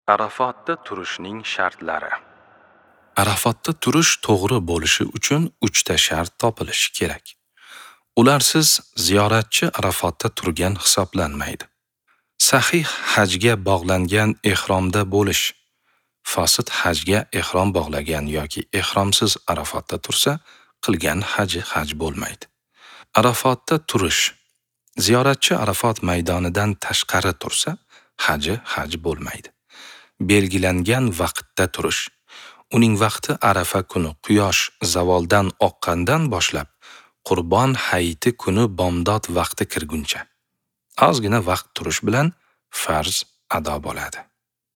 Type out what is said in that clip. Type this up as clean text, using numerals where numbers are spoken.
Arafotda turishning shartlari. Arafotda turish to'g'ri bo'lishi uchun 3 ta shart topilishi kerak. Ularsiz ziyoratchi Arafotda turgan hisoblanmaydi. Sahih hajga bog'langan ehromda bo'lish. Fosid hajga ehrom bog'lagan yoki ehromsiz Arafotda tursa, qilgan haji haj bo'lmaydi. Arafotda turish. Ziyoratchi Arafot maydonidan tashqari tursa, haji haj bo'lmaydi. Belgilangan vaqtda turish. Uning vaqti Arafa kuni quyosh zavoldan oqqandan boshlab Qurbon hayiti kuni bomdod vaqti kirguncha. Ozgina vaqt turish bilan farz ado bo'ladi.